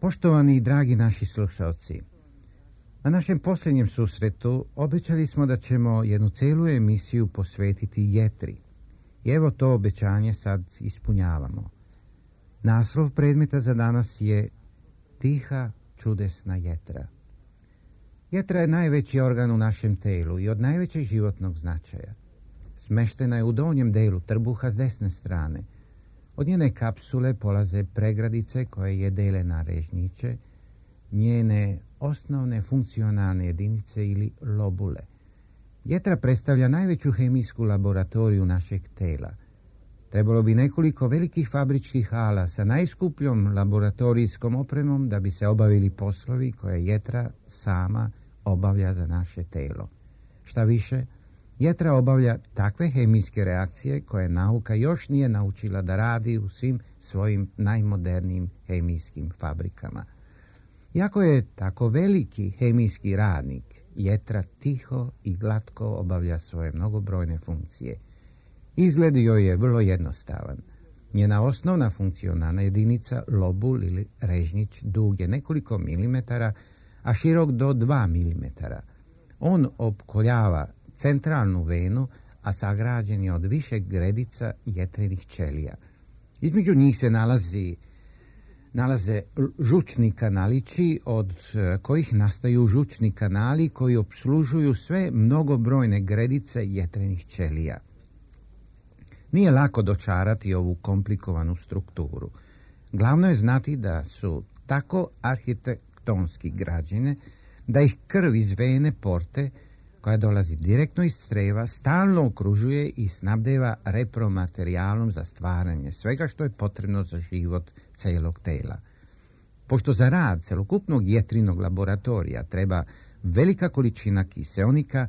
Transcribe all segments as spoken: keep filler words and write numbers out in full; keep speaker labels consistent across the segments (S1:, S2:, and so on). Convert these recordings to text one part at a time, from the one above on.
S1: Poštovani i dragi naši slušalci, na našem posljednjem susretu obećali smo da ćemo jednu celu emisiju posvetiti jetri. I evo to obećanje sad ispunjavamo. Naslov predmeta za danas je Tiha čudesna jetra. Jetra je najveći organ u našem telu i od najvećeg životnog značaja. Smeštena je u donjem delu trbuha s desne strane. Od njene kapsule polaze pregradice koje je dele na režnjiće, njene osnovne funkcionalne jedinice ili lobule. Jetra predstavlja najveću hemijsku laboratoriju našeg tela. Trebalo bi nekoliko velikih fabričkih hala sa najskupljom laboratorijskom opremom da bi se obavili poslovi koje jetra sama obavlja za naše telo. Šta više, jetra obavlja takve hemijske reakcije koje nauka još nije naučila da radi u svim svojim najmodernijim hemijskim fabrikama. Iako je tako veliki hemijski radnik, jetra tiho i glatko obavlja svoje mnogobrojne funkcije. Izgled joj je vrlo jednostavan. Njena osnovna funkcionalna jedinica, lobul ili režnjić, dug je nekoliko milimetara, a širok do dva milimetara. On opkoljava centralnu venu, a sagrađen je od više gredica jetrenih ćelija. Između njih se nalazi, nalaze žučni kanalići, od kojih nastaju žučni kanali koji opslužuju sve mnogobrojne gredice jetrenih ćelija. Nije lako dočarati ovu komplikovanu strukturu. Glavno je znati da su tako arhitektonski građene da ih krv iz vene porte, koja dolazi direktno iz creva, stalno okružuje i snabdeva repromaterijalom za stvaranje svega što je potrebno za život celog tela. Pošto za rad celokupnog jetrinog laboratorija treba velika količina kiseonika,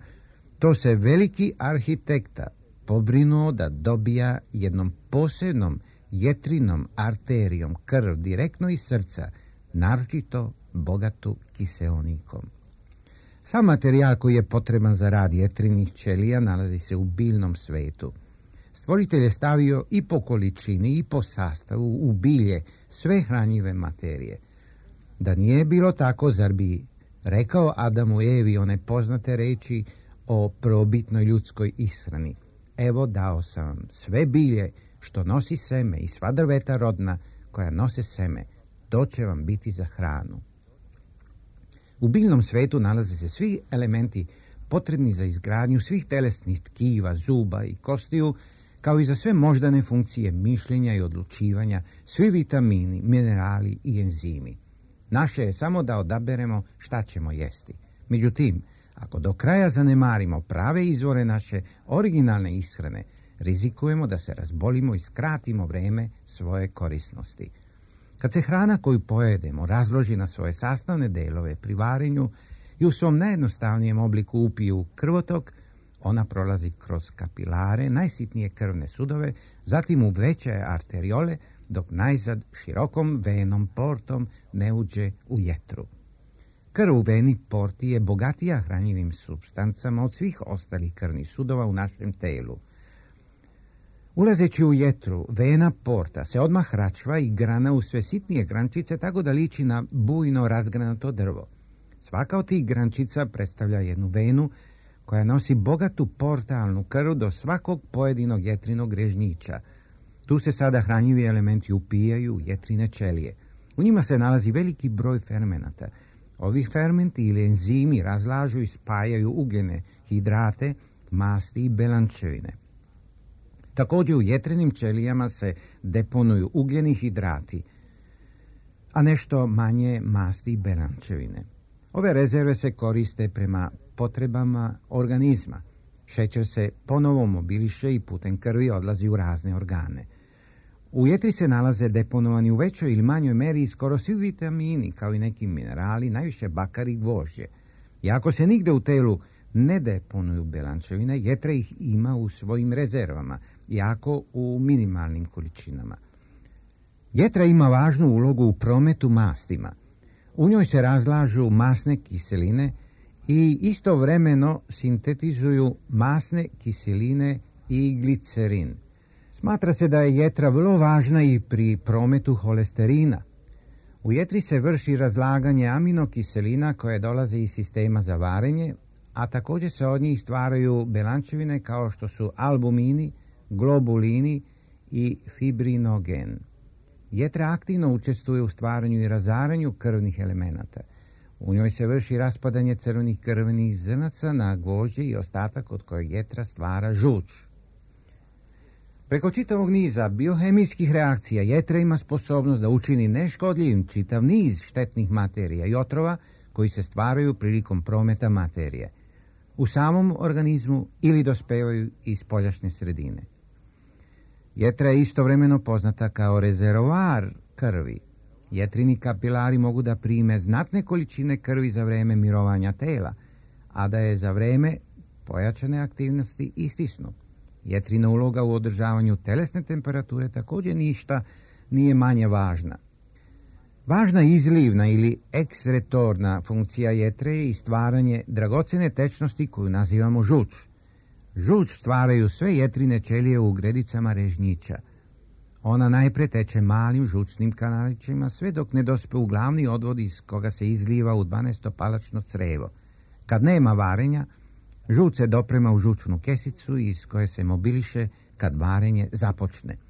S1: to se veliki arhitekta pobrinuo da dobija jednom posebnom jetrinom arterijom krv direktno iz srca, naročito bogatu kiseonikom. Sam materijal koji je potreban za rad jetrinih ćelija nalazi se u biljnom svetu. Stvoritelj je stavio i po količini i po sastavu u bilje sve hranjive materije. Da nije bilo tako, zar bi rekao Adamu i Evi one poznate reči o prvobitnoj ljudskoj ishrani? Evo, dao sam vam sve bilje što nosi seme i sva drveta rodna koja nose seme, to će vam biti za hranu. U biljnom svetu nalaze se svi elementi potrebni za izgradnju svih telesnih tkiva, zuba i kostiju, kao i za sve moždane funkcije mišljenja i odlučivanja, svi vitamini, minerali i enzimi. Naše je samo da odaberemo šta ćemo jesti. Međutim, ako do kraja zanemarimo prave izvore naše originalne ishrane, rizikujemo da se razbolimo i skratimo vreme svoje korisnosti. Kad se hrana koju pojedemo razloži na svoje sastavne delove pri varenju i u svom najjednostavnijem obliku upije u krvotok, ona prolazi kroz kapilare, najsitnije krvne sudove, zatim u veće arteriole, dok najzad širokom venom portom ne uđe u jetru. Krv u veni porti je bogatija hranjivim supstancama od svih ostalih krvnih sudova u našem telu. Ulazeći u jetru, vena porta se odmah račva i grana u sve sitnije grančice, tako da liči na bujno razgranato drvo. Svaka od tih grančica predstavlja jednu venu koja nosi bogatu portalnu krv do svakog pojedinog jetrinog režnjića. Tu se sada hranjivi elementi upijaju u jetrine ćelije. U njima se nalazi veliki broj fermenata. Ovi fermenti ili enzimi razlažu i spajaju ugljene, hidrate, masti i belančevine. Također u jetrenim ćelijama se deponuju ugljeni hidrati, a nešto manje masti i belančevine. Ove rezerve se koriste prema potrebama organizma. Šećer se ponovo mobiliše i putem krvi odlazi u razne organe. U jetri se nalaze deponovani u većoj ili manjoj meri skoro svi vitamini, kao i neki minerali, najviše bakar i gvožđe. I ako se nigde u telu ne deponuju belančevine, jetra ih ima u svojim rezervama, iako u minimalnim količinama. Jetra ima važnu ulogu u prometu mastima. U njoj se razlažu masne kiseline i istovremeno sintetizuju masne kiseline i glicerin. Smatra se da je jetra vrlo važna i pri prometu holesterina. U jetri se vrši razlaganje aminokiselina koje dolaze iz sistema za varenje, a također se od njih stvaraju belančevine kao što su albumini, globulini i fibrinogen. Jetra aktivno učestvuje u stvaranju i razaranju krvnih elemenata. U njoj se vrši raspadanje crvenih krvnih zrnaca na gvožđe i ostatak od kojeg jetra stvara žuč. Preko čitavog niza biohemijskih reakcija jetra ima sposobnost da učini neškodljivim čitav niz štetnih materija i otrova koji se stvaraju prilikom prometa materije u samom organizmu ili dospevaju iz spoljašnje sredine. Jetra je istovremeno poznata kao rezervoar krvi. Jetrini kapilari mogu da prime znatne količine krvi za vreme mirovanja tela, a da je za vreme pojačane aktivnosti istisnu. Jetrina uloga u održavanju telesne temperature također ništa nije manje važna. Važna izlivna ili eksretorna funkcija jetre je i stvaranje dragocene tečnosti koju nazivamo žuč. Žuč stvaraju sve jetrine ćelije u gredicama režnjića. Ona najpre teče malim žučnim kanalićima sve dok ne dospe u glavni odvod iz koga se izliva u dvanaestopalačno crevo. Kad nema varenja, žuč se doprema u žučnu kesicu iz koje se mobiliše kad varenje započne.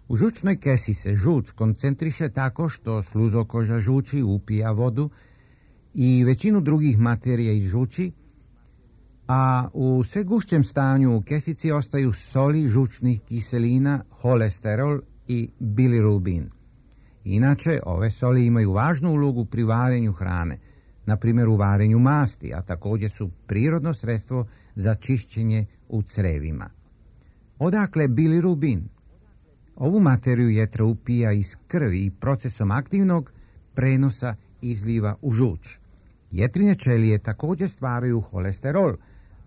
S1: U žučnoj kesi se žuč koncentriše tako što sluzokoža žuči upija vodu i većinu drugih materija iz žuči, a u sve gušćem stanju u kesici ostaju soli žučnih kiselina, holesterol i bilirubin. Inače, ove soli imaju važnu ulogu pri varenju hrane, na primjer u varenju masti, a također su prirodno sredstvo za čišćenje u crevima. Odakle bilirubin? Ovu materiju jetra upija iz krvi i procesom aktivnog prenosa izliva u žuč. Jetrine ćelije također stvaraju holesterol,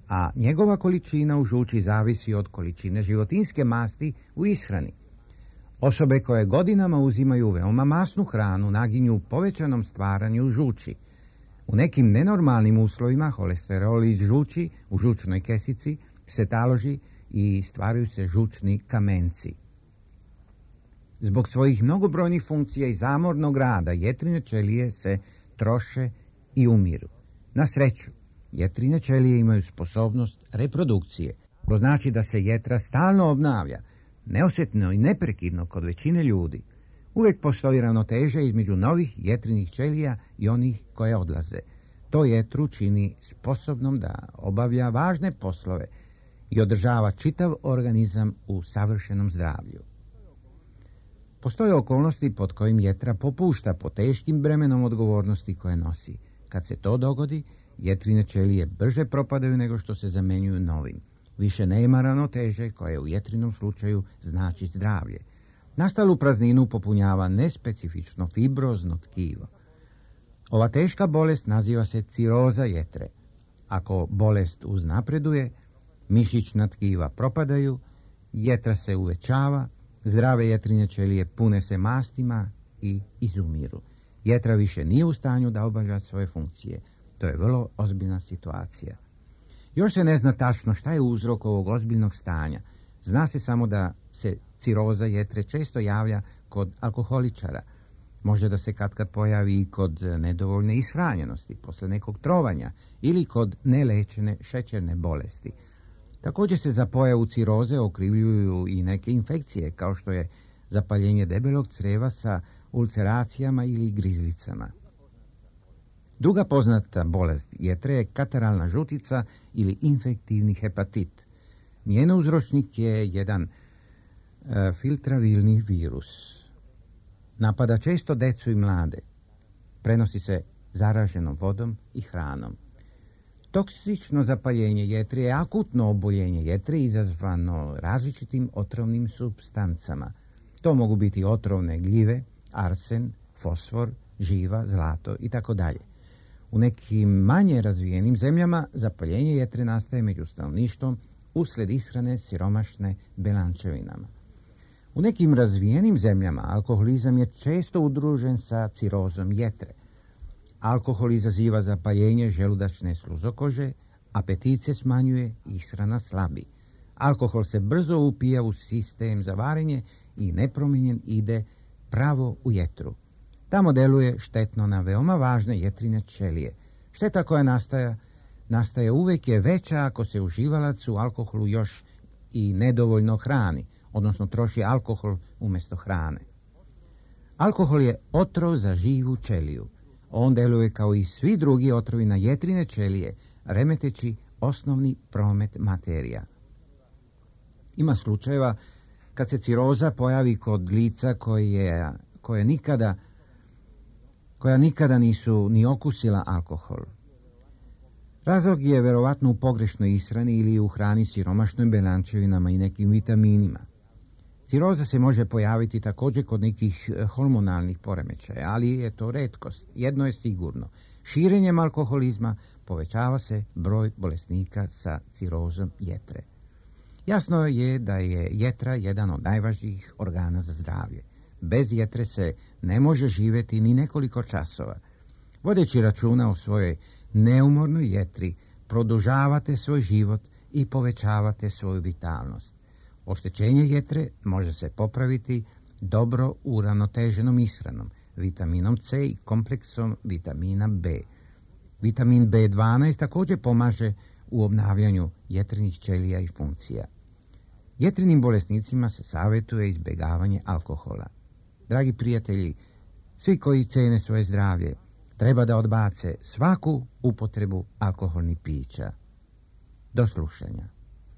S1: a njegova količina u žuči zavisi od količine životinjske masti u ishrani. Osobe koje godinama uzimaju veoma masnu hranu naginju povećanom stvaranju žuči. U nekim nenormalnim uslovima holesterol iz žuči u žučnoj kesici se taloži i stvaraju se žučni kamenci. Zbog svojih mnogobrojnih funkcija i zamornog rada jetrine ćelije se troše i umiru. Na sreću, jetrine ćelije imaju sposobnost reprodukcije. To znači da se jetra stalno obnavlja, neosjetno i neprekidno kod većine ljudi. Uvijek postoji ravnoteža između novih jetrinih ćelija i onih koje odlaze. To jetru čini sposobnom da obavlja važne poslove i održava čitav organizam u savršenom zdravlju. Postoje okolnosti pod kojim jetra popušta po teškim bremenom odgovornosti koje nosi. Kad se to dogodi, jetrine ćelije brže propadaju nego što se zamenjuju novim. Više nema ravnoteže koje u jetrinom slučaju znači zdravlje. Nastalu prazninu popunjava nespecifično fibrozno tkivo. Ova teška bolest naziva se ciroza jetre. Ako bolest uznapreduje, mišićna tkiva propadaju, jetra se uvećava, zdrave jetrine ćelije pune se mastima i izumiru. Jetra više nije u stanju da obavlja svoje funkcije. To je vrlo ozbiljna situacija. Još se ne zna tačno šta je uzrok ovog ozbiljnog stanja. Zna se samo da se ciroza jetre često javlja kod alkoholičara. Može da se katkad pojavi i kod nedovoljne ishranjenosti, posle nekog trovanja ili kod nelečene šećerne bolesti. Također se za pojavu ciroze okrivljuju i neke infekcije, kao što je zapaljenje debelog creva sa ulceracijama ili grizlicama. Druga poznata bolest jetre je kataralna žutica ili infektivni hepatit. Njen uzročnik je jedan e, filtravilni virus. Napada često decu i mlade. Prenosi se zaraženom vodom i hranom. Toksično zapaljenje jetre je akutno oboljenje jetre izazvano različitim otrovnim supstancama. To mogu biti otrovne gljive, arsen, fosfor, živa, zlato i tako dalje. U nekim manje razvijenim zemljama zapaljenje jetre nastaje među stanovništvom uslijed ishrane siromašne belančevinama. U nekim razvijenim zemljama alkoholizam je često udružen sa cirozom jetre. Alkohol izaziva zapaljenje želudačne sluzokože, apetit se smanjuje, ishrana slabi. Alkohol se brzo upija u sistem za varenje i nepromijenjen ide pravo u jetru. Tamo deluje štetno na veoma važne jetrine ćelije. Šteta koja nastaje, nastaje uvijek je veća ako se uživalac u alkoholu još i nedovoljno hrani, odnosno troši alkohol umjesto hrane. Alkohol je otrov za živu ćeliju. On deluje kao i svi drugi otrovi na jetrine ćelije, remeteći osnovni promet materija. Ima slučajeva kad se ciroza pojavi kod lica koje, koje nikada, koja nikada nisu ni okusila alkohol. Razlog je verovatno u pogrešnoj ishrani ili u hrani siromašnoj belančevinama i nekim vitaminima. Ciroza se može pojaviti također kod nekih hormonalnih poremećaja, ali je to retkost. Jedno je sigurno. Širenjem alkoholizma povećava se broj bolesnika sa cirozom jetre. Jasno je da je jetra jedan od najvažnijih organa za zdravlje. Bez jetre se ne može živjeti ni nekoliko časova. Vodeći računa o svojoj neumornoj jetri, produžavate svoj život i povećavate svoju vitalnost. Oštećenje jetre može se popraviti dobro uravnoteženom ishranom, vitaminom C i kompleksom vitamina B. Vitamin B dvanaest također pomaže u obnavljanju jetrenih ćelija i funkcija. Jetrinim bolesnicima se savjetuje izbjegavanje alkohola. Dragi prijatelji, svi koji cene svoje zdravlje, treba da odbace svaku upotrebu alkoholnih pića. Do slušanja.